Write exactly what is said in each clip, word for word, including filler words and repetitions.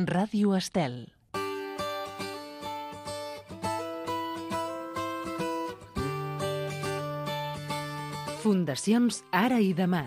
Ràdio Estel. Fundacions Ara i Demà.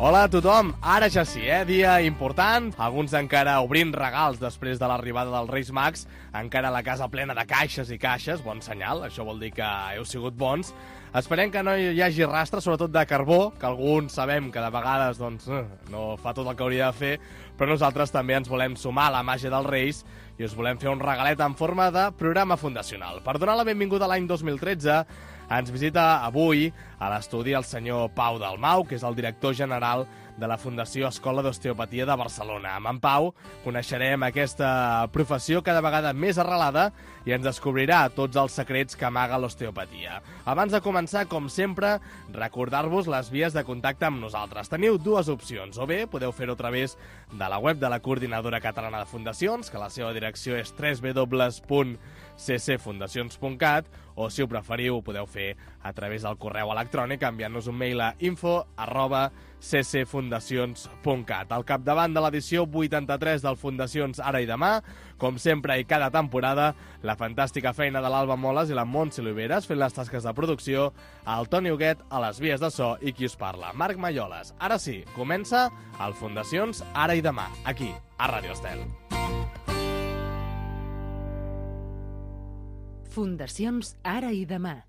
Hola a tothom, ara ja sí, eh? Dia important, alguns encara obrint regals després de l'arribada dels Reis Mags, encara la casa plena de caixes i caixes, bon senyal, això vol dir que heu sigut bons. Esperem que no hi hagi rastre, sobretot de carbó, que alguns sabem que de vegades doncs, no fa tot el que hauria de fer, però nosaltres també ens volem sumar a la màgia dels Reis i us volem fer un regalet en forma de programa fundacional. Per donar la benvinguda a l'any dos mil tretze, ens visita avui a l'estudi el senyor Pau Dalmau, que és el director general de la Fundació Escola d'Osteopatia de Barcelona. Amb en Pau coneixerem aquesta professió cada vegada més arrelada i ens descobrirà tots els secrets que amaga l'osteopatia. Abans de començar, com sempre, recordar-vos les vies de contacte amb nosaltres. Teniu dues opcions, o bé podeu fer-ho a través de la web de la Coordinadora Catalana de Fundacions, que la seva direcció és w w w punt c c fundacions punt cat, o si ho preferiu ho podeu fer a través del correu electrònic enviant-nos un mail a info arroba c c fundacions punt cat. Al capdavant de l'edició vuitanta-tres del Fundacions Ara i Demà, com sempre i cada temporada, la fantàstica feina de l'Alba Moles i la Montse Oliveres fent les tasques de producció, el Toni Huguet a les vies de so i qui us parla, Marc Malloles. Ara sí, comença el Fundacions Ara i Demà, aquí, a Ràdio Estel. Fundacions Ara i Demà.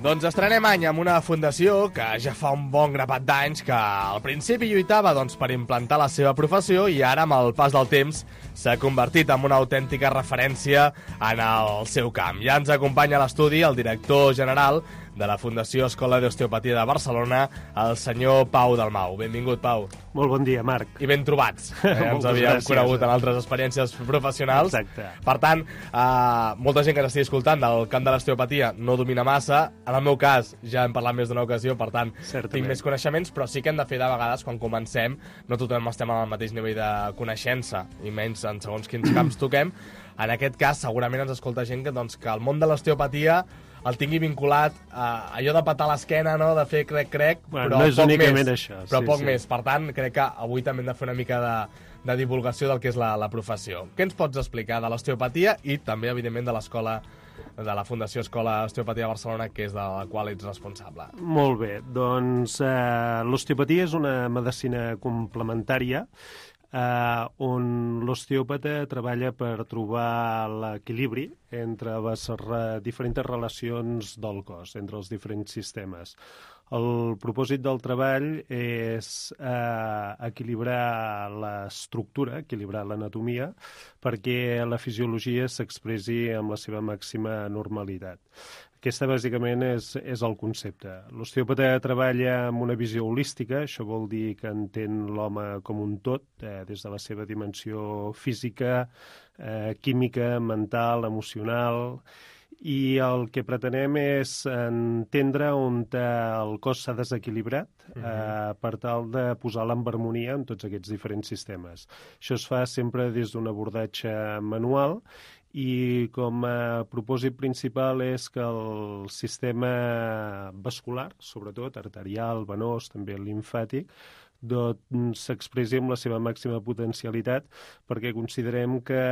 Doncs estrenem any amb una fundació que ja fa un bon grapat d'anys que al principi lluitava doncs, per implantar la seva professió i ara, amb el pas del temps, s'ha convertit en una autèntica referència en el seu camp. Ja ens acompanya a l'estudi el director general de la Fundació Escola d'Osteopatia de Barcelona, el senyor Pau Dalmau. Benvingut, Pau. Molt bon dia, Marc. I ben trobats. Eh? Ens havíem gràcies, conegut en altres experiències professionals. Exacte. Per tant, eh, molta gent que ens estigui escoltant del camp de l'osteopatia no domina massa. En el meu cas, ja hem parlat més d'una ocasió, per tant, Certament. tinc més coneixements, però sí que hem de fer de vegades, quan comencem, no tothom estem al mateix nivell de coneixença, i menys en segons quins camps toquem. En aquest cas, segurament ens escolta gent que, doncs, que el món de l'osteopatia el tingui vinculat a allò de patar l'esquena, no? De fer crec-crec, bueno, però no és poc únicament més. Això, però sí, poc sí. més. Per tant, crec que avui també hem de fer una mica de, de divulgació del que és la, la professió. Què ens pots explicar de l'osteopatia i també, evidentment, de l'escola, de la Fundació Escola Osteopatia de Barcelona, que és de la qual ets responsable? Molt bé. Doncs eh, l'osteopatia és una medicina complementària Uh, on l'osteòpata treballa per trobar l'equilibri entre les re diferents relacions del cos, entre els diferents sistemes. El propòsit del treball és uh, equilibrar l'estructura, equilibrar l'anatomia, perquè la fisiologia s'expressi amb la seva màxima normalitat. Aquesta, bàsicament, és, és el concepte. L'osteòpata treballa amb una visió holística, això vol dir que entén l'home com un tot, eh, des de la seva dimensió física, eh, química, mental, emocional, i el que pretenem és entendre on el cos s'ha desequilibrat eh, uh-huh. per tal de posar-la en harmonia en tots aquests diferents sistemes. Això es fa sempre des d'un abordatge manual i com a propòsit principal és que el sistema vascular, sobretot arterial, venós, també limfàtic, doncs s'expressi amb la seva màxima potencialitat, perquè considerem que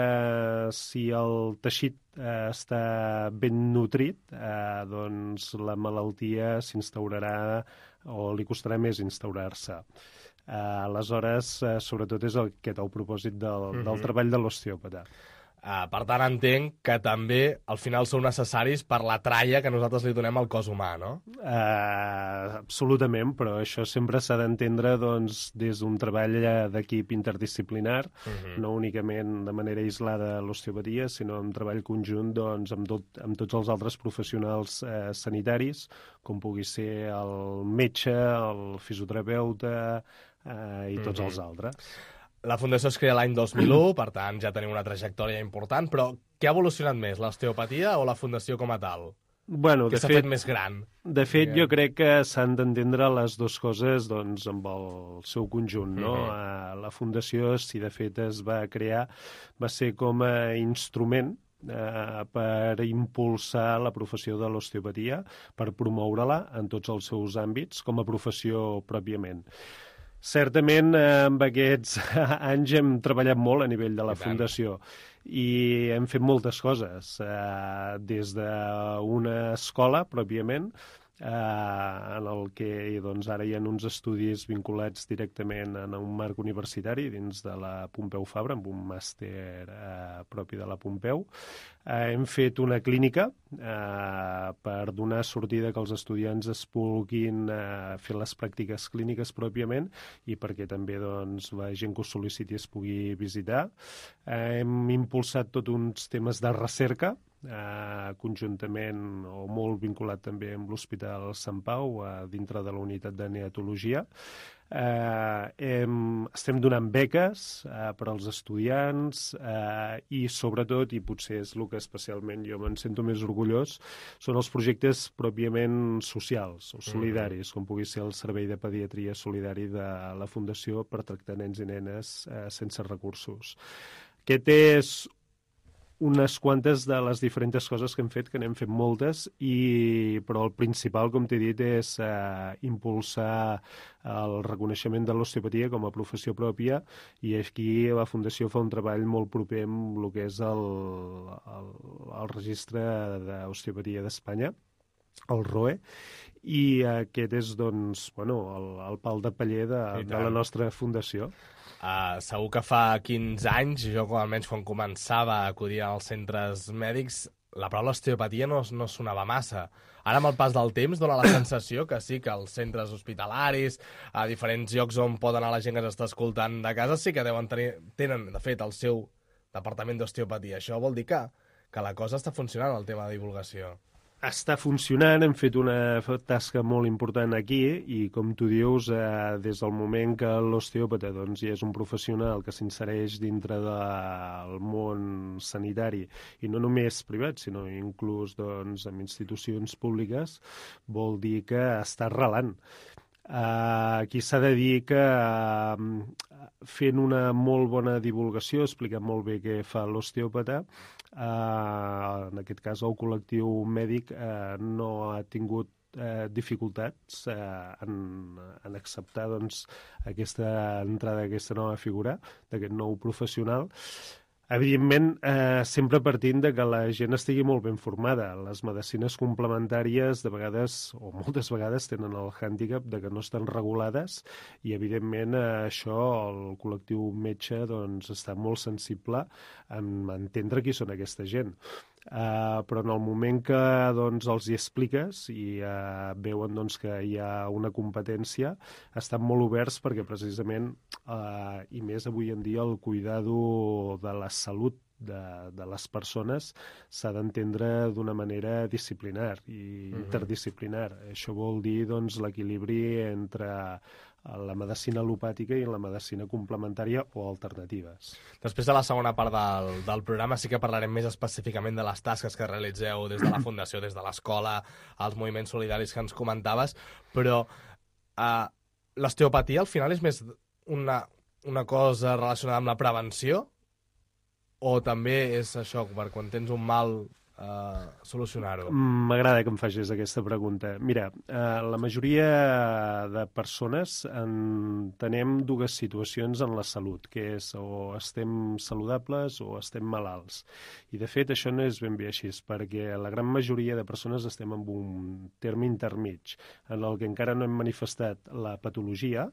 si el teixit eh, està ben nutrit, eh, doncs la malaltia s'instaurarà o li costarà més instaurar-se. Eh, aleshores, eh, sobretot és aquest el propòsit del, uh-huh. del treball de l'osteòpata. Uh, per tant, entenc que també al final sou necessaris per la tralla que nosaltres li donem al cos humà, no? Uh, absolutament, però això sempre s'ha d'entendre doncs, des d'un treball d'equip interdisciplinar, uh-huh. no únicament de manera aislada l'osteopatia, sinó en treball conjunt doncs, amb, tot, amb tots els altres professionals eh, sanitaris, com pugui ser el metge, el fisioterapeuta eh, i tots uh-huh. els altres. La Fundació es crea l'any dos mil u, per tant ja tenim una trajectòria important, però què ha evolucionat més, l'osteopatia o la Fundació com a tal? Bueno, que de s'ha fet, fet més gran? De fet, jo crec que s'han d'entendre les dues coses doncs, amb el seu conjunt. No? Mhm. Uh, la Fundació, si de fet es va crear, va ser com a instrument uh, per impulsar la professió de l'osteopatia, per promoure-la en tots els seus àmbits com a professió pròpiament. Certament, eh, amb aquests anys hem treballat molt a nivell de la Fundació i hem fet moltes coses, eh, des d'una escola, pròpiament, eh, en el que doncs, ara hi ha uns estudis vinculats directament en un marc universitari dins de la Pompeu Fabra, amb un màster eh, propi de la Pompeu. Eh, hem fet una clínica eh, per donar sortida que els estudiants es puguin eh, fer les pràctiques clíniques pròpiament i perquè també doncs, la gent que ho sol·liciti es pugui visitar. Eh, hem impulsat tots uns temes de recerca, eh, conjuntament o molt vinculat també amb l'Hospital Sant Pau, eh, dintre de la unitat de neatologia. Eh, hem, estem donant beques eh, per als estudiants eh, i sobretot, i potser és el que especialment jo me'n sento més orgullós, són els projectes pròpiament socials o solidaris, com pugui ser el Servei de Pediatria Solidari de la Fundació per tractar nens i nenes eh, sense recursos. Aquest és unes quantes de les diferents coses que hem fet, que n'hem fet moltes, i, però el principal, com t'he dit, és eh, impulsar el reconeixement de l'osteopatia com a professió pròpia, i aquí la Fundació fa un treball molt proper amb el que és el, el, el registre d'osteopatia d'Espanya, el R O E, i aquest és doncs, bueno, el, el pal de paller de, de la nostra fundació. Uh, segur que fa quinze anys, jo almenys quan començava a acudir als centres mèdics, la paraula osteopatia no, no sonava massa. Ara, amb el pas del temps, dona la sensació que sí, que els centres hospitalaris, a diferents llocs on pot anar la gent que s'està escoltant de casa, sí que deuen tenir, tenen, de fet, el seu departament d'osteopatia. Això vol dir que, que la cosa està funcionant, el tema de divulgació. Està funcionant, hem fet una tasca molt important aquí i, com tu dius, eh, des del moment que l'osteòpata doncs, ja és un professional que s'insereix dintre del món sanitari, i no només privat, sinó inclús doncs, en institucions públiques, vol dir que està arrelant. Uh, aquí s'ha de dir que uh, fent una molt bona divulgació, explicant molt bé què fa l'osteòpata, uh, en aquest cas el col·lectiu mèdic uh, no ha tingut uh, dificultats uh, en, en acceptar doncs, aquesta entrada d'aquesta nova figura, d'aquest nou professional. Evidentment, eh, sempre partint de que la gent estigui molt ben formada. Les medicines complementàries, de vegades, o moltes vegades, tenen el hàndicap de que no estan regulades i, evidentment, eh, això el col·lectiu metge doncs, està molt sensible en entendre qui són aquesta gent. Uh, però en el moment que doncs, els hi expliques i uh, veuen doncs, que hi ha una competència, estan molt oberts perquè precisament, uh, i més avui en dia, el cuidado de la salut de, de les persones s'ha d'entendre d'una manera disciplinar i uh-huh. interdisciplinar. Això vol dir doncs, l'equilibri entre la medicina al·lopàtica i la medicina complementària o alternatives. Després de la segona part del, del programa sí que parlarem més específicament de les tasques que realitzeu des de la Fundació, des de l'escola, els moviments solidaris que ens comentaves, però uh, l'osteopatia al final és més una, una cosa relacionada amb la prevenció o també és això, per quan tens un mal Uh, solucionar-ho? M'agrada que em facis aquesta pregunta. Mira, uh, la majoria de persones entenem dues situacions en la salut, que és o estem saludables o estem malalts. I, de fet, això no és ben bé així, perquè la gran majoria de persones estem en un terme intermig, en el que encara no hem manifestat la patologia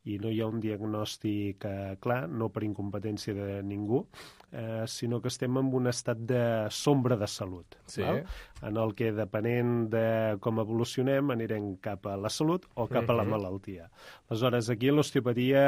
i no hi ha un diagnòstic uh, clar, no per incompetència de ningú, uh, sinó que estem en un estat de sombra de salut. Sí. Val? En el que, depenent de com evolucionem, anirem cap a la salut o cap a la malaltia. Aleshores, aquí l'osteopatia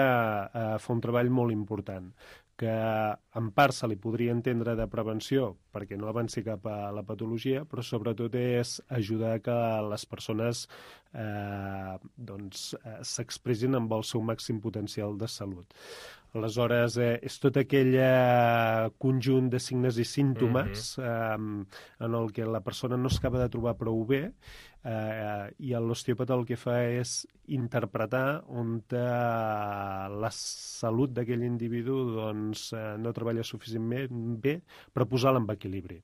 eh, fa un treball molt important, que en part se li podria entendre de prevenció perquè no avanci cap a la patologia, però sobretot és ajudar que les persones eh, doncs, eh, s'expressin amb el seu màxim potencial de salut. Aleshores, eh, és tot aquell eh, conjunt de signes i símptomes mm-hmm. eh, en el que la persona no s'acaba de trobar prou bé eh, i l'osteòpata el que fa és interpretar on eh, la salut d'aquell individu doncs, eh, no treballa suficientment bé per posar-la en equilibri.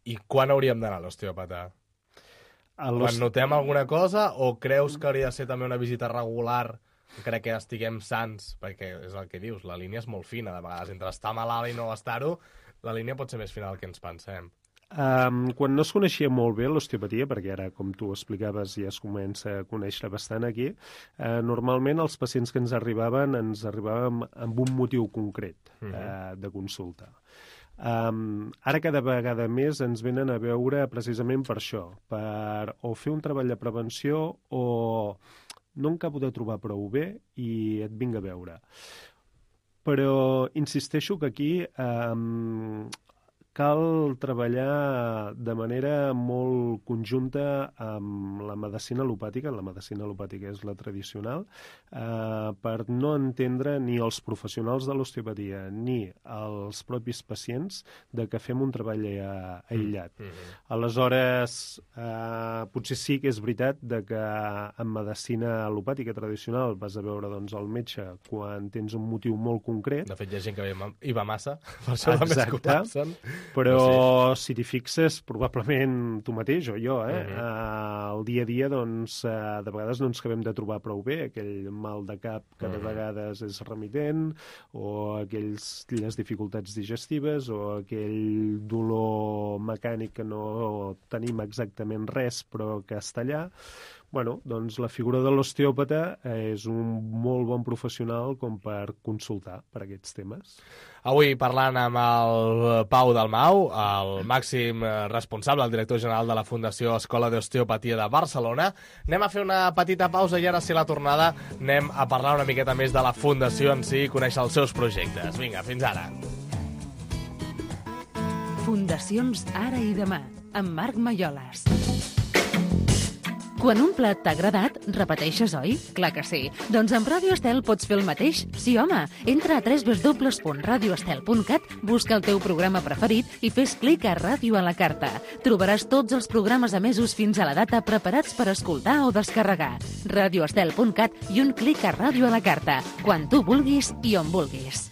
I quan hauríem d'anar a l'osteòpata? Quan notem alguna cosa o creus que hauria de ser també una visita regular encara que estiguem sans, perquè és el que dius, la línia és molt fina, de vegades, entre estar malalt i no estar-ho, la línia pot ser més fina del que ens pensem. Um, quan no es coneixia molt bé l'osteopatia, perquè ara, com tu explicaves, ja es comença a conèixer bastant aquí, uh, normalment els pacients que ens arribaven ens arribaven amb un motiu concret uh, uh, de consulta. Um, ara cada vegada més ens venen a veure precisament per això, per o fer un treball de prevenció o no em acabo de trobar prou bé i et vinc a veure. Però insisteixo que aquí um, cal treballar de manera molt conjunta amb la medicina al·lopàtica, la medicina al·lopàtica és la tradicional, eh, per no entendre ni els professionals de l'osteopatia ni els propis pacients de que fem un treball aïllat. Mm-hmm. Aleshores, eh, potser sí que és veritat de que en medicina al·lopàtica tradicional vas a veure doncs, el metge quan tens un motiu molt concret. De fet, hi ha gent que hi va massa, per això només col·lapsen. Però sí. Si t'hi fixes, probablement tu mateix o jo, eh? Uh-huh. uh, el dia a dia, doncs, uh, de vegades no ens acabem de trobar prou bé. Aquell mal de cap que uh-huh. de vegades és remitent, o aquells, aquelles dificultats digestives, o aquell dolor mecànic que no tenim exactament res, però que està allà. Bueno, doncs la figura de l'osteòpata és un molt bon professional com per consultar per aquests temes. Avui parlant amb el Pau Dalmau, el màxim responsable, el director general de la Fundació Escola d'Osteopatia de Barcelona. Anem a fer una petita pausa i ara, si la tornada, anem a parlar una miqueta més de la Fundació en si i conèixer els seus projectes. Vinga, fins ara. Fundacions Ara i Demà, amb Marc Malloles. Quan un plat t'ha agradat, repeteixes, oi? Clar que sí. Doncs amb Ràdio Estel pots fer el mateix? Sí, home. Entra a w w w punt radio estel punt cat, busca el teu programa preferit i fes clic a Ràdio a la carta. Trobaràs tots els programes emesos fins a la data preparats per escoltar o descarregar. radio estel punt cat i un clic a Ràdio a la carta. Quan tu vulguis i on vulguis.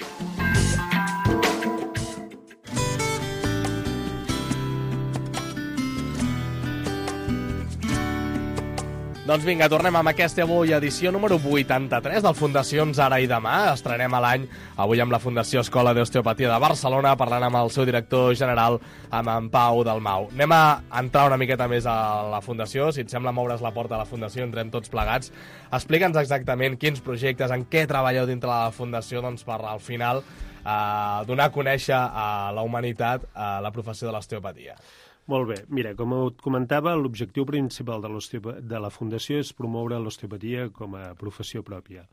Doncs vinga, tornem amb aquesta avui edició número vuitanta-tres del Fundacions Ara i Demà. Estrenem a l'any avui amb la Fundació Escola d'Osteopatia de Barcelona, parlant amb el seu director general, amb en Pau Dalmau. Anem a entrar una miqueta més a la Fundació. Si et sembla, moure's la porta a la Fundació, entrem tots plegats. Explica'ns exactament quins projectes, en què treballeu dintre de la Fundació, doncs per al final eh, donar a conèixer a la humanitat eh, la professió de l'osteopatia. Molt bé. Mira, com et comentava, l'objectiu principal de, de la Fundació és promoure l'osteopatia com a professió pròpia.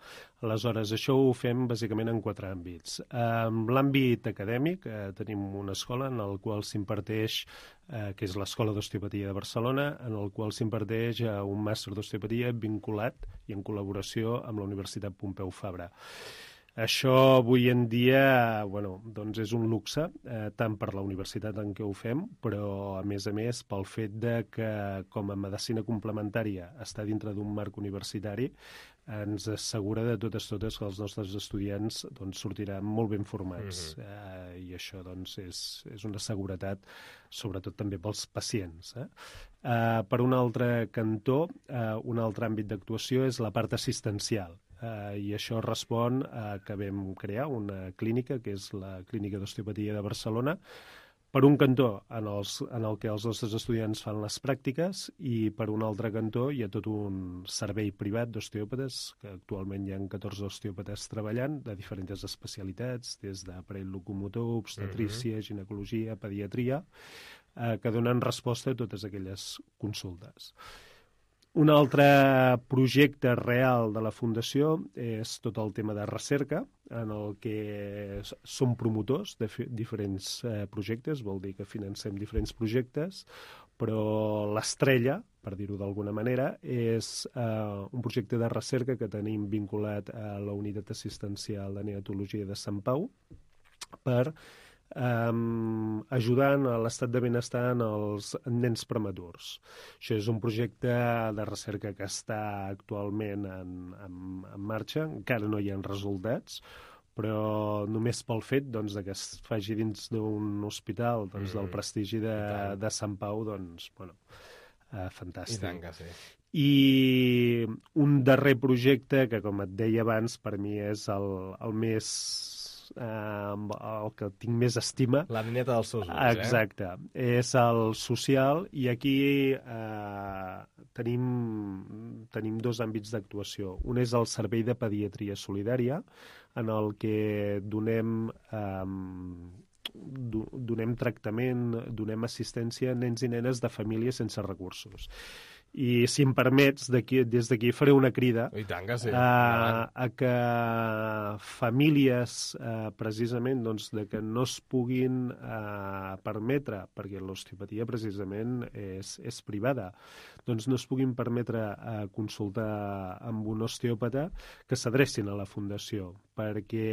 Aleshores, això ho fem bàsicament en quatre àmbits. En l'àmbit acadèmic eh, tenim una escola en la qual s'imparteix, eh, que és l'Escola d'Osteopatia de Barcelona, en el qual s'imparteix eh, un màster d'osteopatia vinculat i en col·laboració amb la Universitat Pompeu Fabra. Això avui en dia bueno, doncs és un luxe, eh, tant per la universitat en què ho fem, però a més a més pel fet de que com a medicina complementària està dintre d'un marc universitari, ens assegura de totes totes que els nostres estudiants doncs, sortiran molt ben formats. Mm-hmm. eh, I això doncs, és, és una seguretat, sobretot també pels pacients. Eh? Eh, per un altre cantó, eh, un altre àmbit d'actuació és la part assistencial. Uh, i això respon a que vam crear una clínica, que és la Clínica d'Osteopatia de Barcelona, per un cantó en, els, en el que els nostres estudiants fan les pràctiques i per un altre cantó hi ha tot un servei privat d'osteòpates, que actualment hi ha catorze osteòpates treballant de diferents especialitats, des d'aparell locomotor, obstetrícia, uh-huh. ginecologia, pediatria, uh, que donen resposta a totes aquelles consultes. Un altre projecte real de la Fundació és tot el tema de recerca, en el que som promotors de diferents eh, projectes, vol dir que financem diferents projectes, però l'estrella, per dir-ho d'alguna manera, és eh, un projecte de recerca que tenim vinculat a la Unitat Assistencial de Neonatologia de Sant Pau per Um, ajudant a l'estat de benestar en els nens prematurs. Això és un projecte de recerca que està actualment en, en, en marxa, encara no hi ha resultats, però només pel fet doncs, de que es faci dins d'un hospital doncs, del prestigi de, de Sant Pau, doncs, bueno, uh, fantàstic. I tant que sí. I un darrer projecte que, com et deia abans, per mi és el, el més... Uh, el que tinc més estima. La nineta dels seus ulls, eh? Exacte. És el social i aquí uh, tenim, tenim dos àmbits d'actuació. Un és el Servei de Pediatria Solidària, en el que donem... Um, donem tractament, donem assistència a nens i nenes de famílies sense recursos. I, si em permets, des d'aquí faré una crida I tant que sí. a, a que famílies, eh, precisament, doncs, de que no es puguin eh, permetre, perquè l'osteopatia precisament és, és privada, doncs no es puguin permetre eh, consultar amb un osteòpata, que s'adrecin a la Fundació, perquè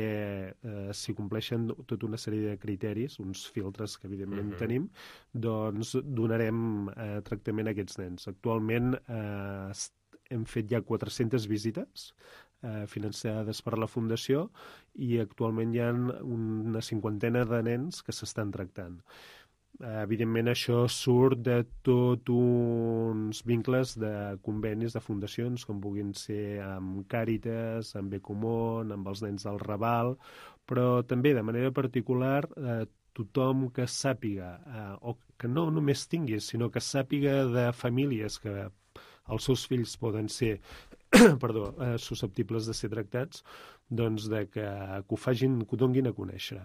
eh, si compleixen tota una sèrie de criteris, uns filtres que evidentment uh-huh. tenim, doncs donarem eh, tractament a aquests nens. Actualment eh, hem fet ja quatre-centes visites eh, financades per la Fundació i actualment hi ha una cinquantena de nens que s'estan tractant. Eh, evidentment això surt de tot uns vincles de convenis de fundacions com puguin ser amb Càritas, amb Becomón, amb els nens del Raval, però també de manera particular eh, tothom que sàpiga, eh, o que no només tingui, sinó que sàpiga de famílies que els seus fills poden ser perdó, eh, susceptibles de ser tractats, doncs de que, que ho facin, que ho donguin a conèixer.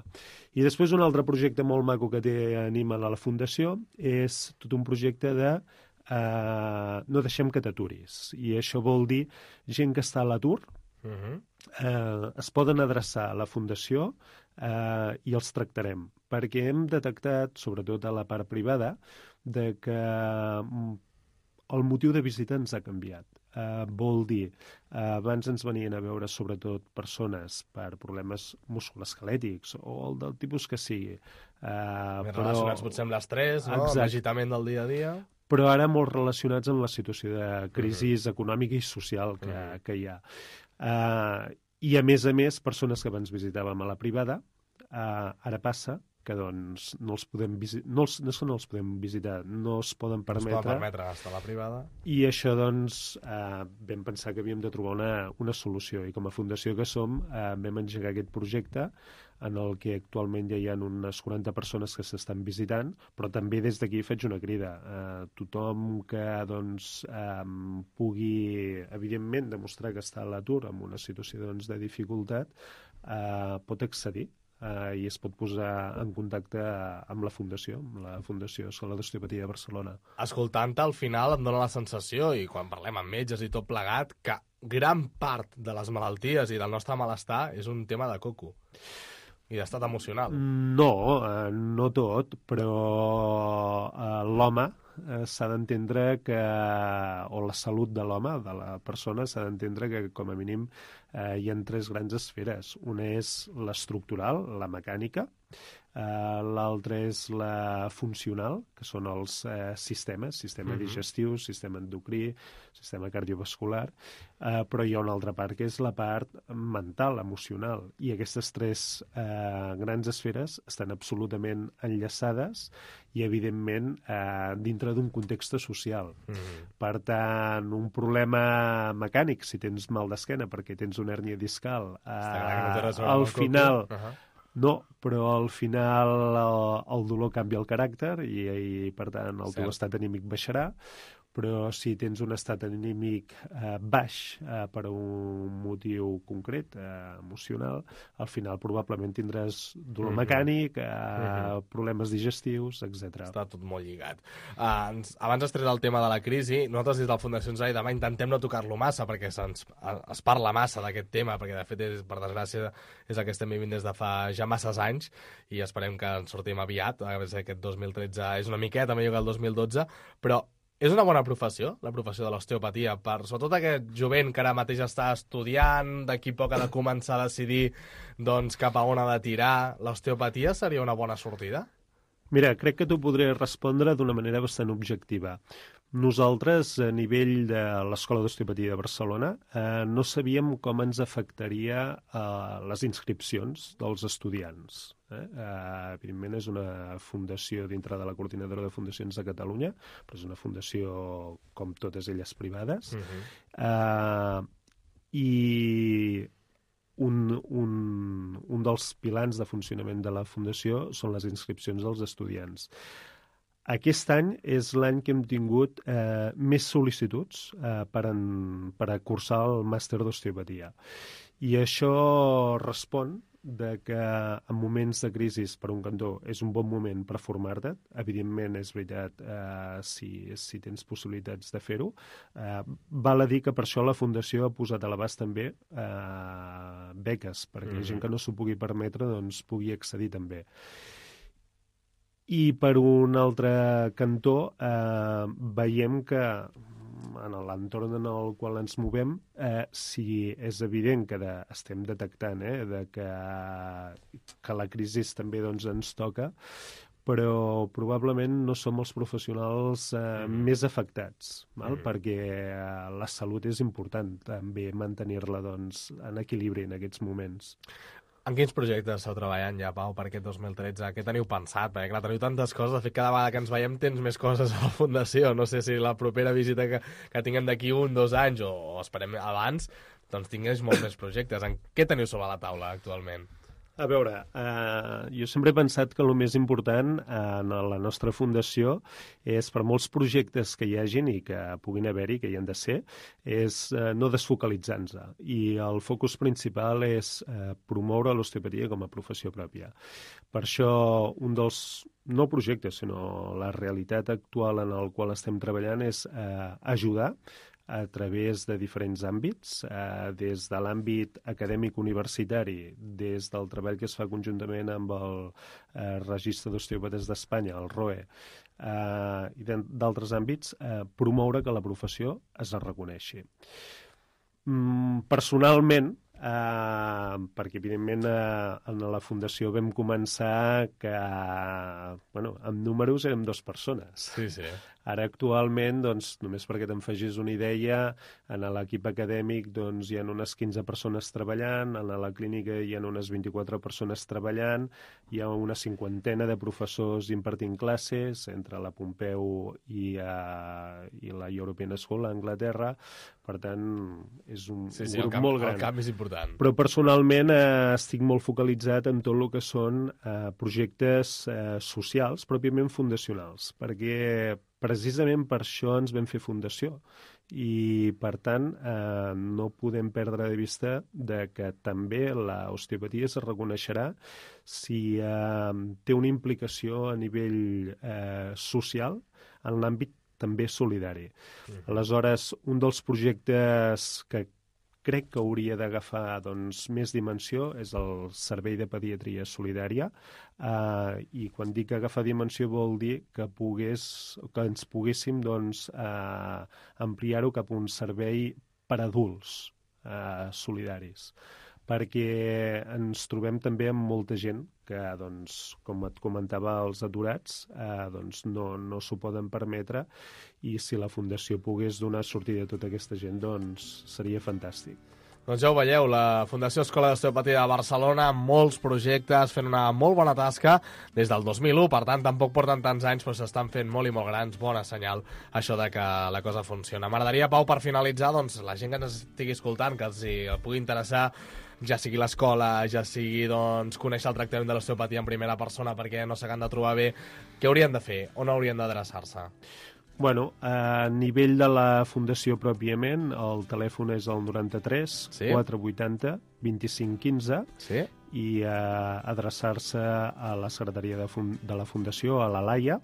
I després un altre projecte molt maco que té Anima a la Fundació és tot un projecte de eh, no deixem que t'aturis. I això vol dir gent que està a l'atur, uh-huh. eh, es poden adreçar a la Fundació eh, i els tractarem, perquè hem detectat, sobretot a la part privada, de que el motiu de visita ens ha canviat. Uh, vol dir, uh, abans ens venien a veure sobretot persones per problemes musculoesquelètics o el del tipus que sigui. Uh, Més però... relacionats potser amb l'estrès, no? Amb l'agitament del dia a dia. Però ara molt relacionats amb la situació de crisi uh-huh. econòmica i social que, uh-huh. que hi ha. Uh, I a més a més, persones que abans visitàvem a la privada, uh, ara passa que doncs no els podem visitar, no, els, no és que no els podem visitar, no es poden permetre. No es poden permetre gastar a la privada. I això, doncs, eh, vam pensar que havíem de trobar una, una solució. I com a fundació que som, eh, vam engegar aquest projecte en el que actualment ja hi ha unes quaranta persones que s'estan visitant, però també des d'aquí faig una crida. Eh, tothom que doncs, eh, pugui, evidentment, demostrar que està a l'atur en una situació doncs, de dificultat, eh, pot accedir Uh, i es pot posar en contacte amb la Fundació, amb la Fundació Escola d'Osteopatia de Barcelona. Escoltant-te, al final em dóna la sensació, i quan parlem amb metges i tot plegat, que gran part de les malalties i del nostre malestar és un tema de coco i d'estat emocional. No, uh, no tot, però uh, l'home uh, s'ha d'entendre que, o la salut de l'home, de la persona, s'ha d'entendre que, com a mínim, Uh, hi ha tres grans esferes. Una és l'estructural, la mecànica, uh, l'altra és la funcional, que són els uh, sistemes, sistema uh-huh. digestiu, sistema endocrí, sistema cardiovascular, uh, però hi ha una altra part que és la part mental, emocional, i aquestes tres uh, grans esferes estan absolutament enllaçades i, evidentment, eh, dintre d'un context social. Mm. Per tant, un problema mecànic, si tens mal d'esquena perquè tens una hèrnia discal, eh, no al final... Uh-huh. No, però al final el, el dolor canvia el caràcter i, i per tant, el Cert. teu estat anímic baixarà, però si tens un estat anímic eh, baix eh, per un motiu concret, eh, emocional, al final probablement tindràs dolor mm-hmm. mecànic, eh, mm-hmm. problemes digestius, etcètera. Està tot molt lligat. Uh, abans has tret el tema de la crisi. Nosaltres des de la Fundació Ens Demà intentem no tocar-lo massa perquè se'ns, es parla massa d'aquest tema, perquè de fet, és, per desgràcia, és el que estem vivint des de fa ja masses anys i esperem que en sortim aviat. A veure si aquest dos mil tretze és una miqueta millor que el dos mil dotze, però és una bona professió, la professió de l'osteopatia, per sobretot aquest jovent que ara mateix està estudiant, d'aquí poc ha de començar a decidir doncs, cap a on ha de tirar. L'osteopatia seria una bona sortida? Mira, crec que t'ho podré respondre d'una manera bastant objectiva. Nosaltres, a nivell de l'Escola d'Osteopatia de Barcelona, eh, no sabíem com ens afectaria eh, les inscripcions dels estudiants. Eh? Eh, evidentment, és una fundació dintre de la Coordinadora de Fundacions de Catalunya, però és una fundació com totes elles privades. Uh-huh. eh, I un, un, un dels pilars de funcionament de la fundació són les inscripcions dels estudiants. Aquest any és l'any que hem tingut eh, més sol·licituds eh, per, en, per a cursar el màster d'osteopatia. I això respon de que en moments de crisi, per un cantó, és un bon moment per formar-te. Evidentment, és veritat, eh, si, si tens possibilitats de fer-ho. Eh, val a dir que per això la Fundació ha posat a l'abast també eh, beques, perquè mm-hmm. la gent que no s'ho pugui permetre doncs, pugui accedir també. I per un altre cantó eh, veiem que en l'entorn en el qual ens movem, eh, si és evident que de, estem detectant eh, de que, que la crisi també doncs, ens toca, però probablement no som els professionals eh, mm. més afectats, val? Mm. perquè eh, la salut és important també mantenir-la doncs, en equilibri en aquests moments. En quins projectes esteu treballant ja, Pau, per aquest dos mil tretze? Què teniu pensat? Perquè, clar, teniu tantes coses. De fet, cada vegada que ens veiem tens més coses a la Fundació. No sé si la propera visita que, que tinguem d'aquí un, dos anys, o, o esperem abans, doncs tingués molts més projectes. En què teniu sobre la taula actualment? A veure, eh, jo sempre he pensat que el més important eh, en la nostra fundació és, per molts projectes que hi hagin i que puguin haver-hi, que hi han de ser, és eh, no desfocalitzar-nos. I el focus principal és eh, promoure l'osteopatia com a professió pròpia. Per això, un dels, no projectes, sinó la realitat actual en el qual estem treballant és eh, ajudar a través de diferents àmbits, eh, des de l'àmbit acadèmic universitari, des del treball que es fa conjuntament amb el eh, Registre d'Osteòpates d'Espanya, el R O E, eh, i d'altres àmbits, eh, promoure que la professió es reconeixi. Mm, personalment, Uh, perquè evidentment uh, en la Fundació vam començar que uh, bueno, amb números érem dues persones. Sí, sí. Ara actualment, doncs, només perquè te'n facis una idea, en l'equip acadèmic doncs, hi ha unes quinze persones treballant, en la clínica hi ha unes vint-i-quatre persones treballant, hi ha una cinquantena de professors impartint classes entre la Pompeu i, uh, i la European School a Anglaterra. Per tant, és un, sí, sí, un grup camp, molt gran. El camp és important. Però personalment eh, estic molt focalitzat en tot el que són eh, projectes eh, socials, pròpiament fundacionals, perquè precisament per això ens vam fer fundació. I, per tant, eh, no podem perdre de vista de que també l'osteopatia es reconeixerà si eh, té una implicació a nivell eh, social en l'àmbit també solidari. Mm. Aleshores, un dels projectes que crec que hauria d'agafar doncs, més dimensió és el Servei de Pediatria Solidària, eh, i quan dic agafar dimensió vol dir que, pogués, que ens poguéssim doncs, eh, ampliar-ho cap a un servei per adults eh, solidaris, perquè ens trobem també amb molta gent que, doncs, com et comentava, els aturats eh, doncs no, no s'ho poden permetre, i si la Fundació pogués donar sortida a tota aquesta gent, doncs seria fantàstic. Doncs ja ho veieu, la Fundació Escola d'Osteopatia de Barcelona, molts projectes, fent una molt bona tasca des del dos mil u, per tant, tampoc porten tants anys, però s'estan fent molt i molt grans, bona senyal, això de que la cosa funciona. M'agradaria, Pau, per finalitzar, doncs, la gent que ens estigui escoltant, que els hi pugui interessar, ja sigui l'escola, ja sigui doncs, conèixer el tractament de l'osteopatia en primera persona perquè no s'hagan de trobar bé, què haurien de fer? On haurien d'adreçar-se? Bueno, a nivell de la fundació pròpiament, el telèfon és el noranta-tres Sí. quatre vuitanta vint-i-cinc quinze Sí? i eh, adreçar-se a la secretaria de, fun de la fundació, a la Laia,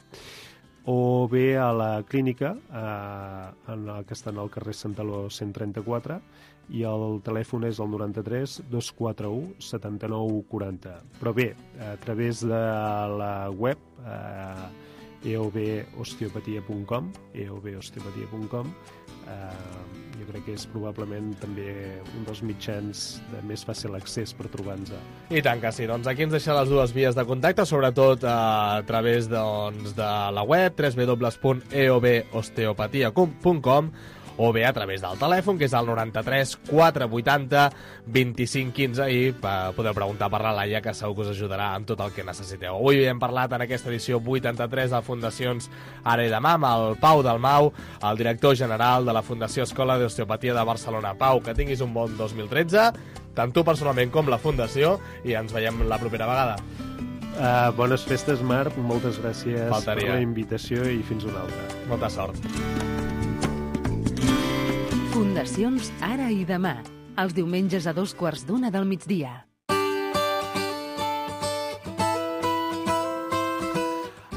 o bé a la clínica, eh, en el que està en el carrer Santaló cent trenta-quatre, i el telèfon és el noranta-tres dos cents quaranta-u setanta-nou quaranta. Però bé, a través de la web eh, e o b osteopatia punt com e o b osteopatia punt com eh, jo crec que és probablement també un dels mitjans de més fàcil accés per trobar-nos. I tant que sí. Doncs aquí ens deixa les dues vies de contacte, sobretot eh, a través doncs, de la web w w w punt e o b osteopatia punt com o bé a través del telèfon, que és el noranta-tres quatre vuitanta vint-i-cinc quinze, i eh, podeu preguntar per la Laia, que segur que us ajudarà en tot el que necessiteu. Avui hem parlat en aquesta edició vuitanta-tres de Fundacions Ara i Demà amb el Pau Dalmau, el director general de la Fundació Escola d'Osteopatia de Barcelona. Pau, que tinguis un bon dos mil tretze, tant tu personalment com la Fundació, i ens veiem la propera vegada. Uh, bones festes, Marc, moltes gràcies Faltaria. per la invitació i fins una altra. Molta sort. Fundacions Ara i Demà, els diumenges a dos quarts d'una del migdia.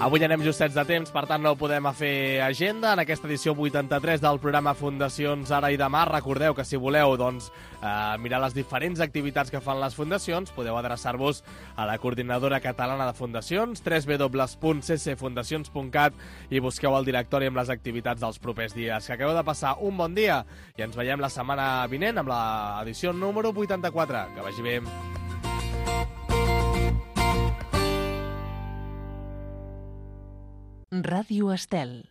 Avui anem justets de temps, per tant no podem fer agenda en aquesta edició vuitanta-tres del programa Fundacions Ara i Demà. Recordeu que si voleu doncs, eh, mirar les diferents activitats que fan les fundacions, podeu adreçar-vos a la Coordinadora Catalana de Fundacions, w w w punt c c fundacions punt cat, i busqueu el directori amb les activitats dels propers dies. Que acabeu de passar un bon dia i ens veiem la setmana vinent amb l'edició número vuitanta-quatre. Que vagi bé. Ràdio Estel.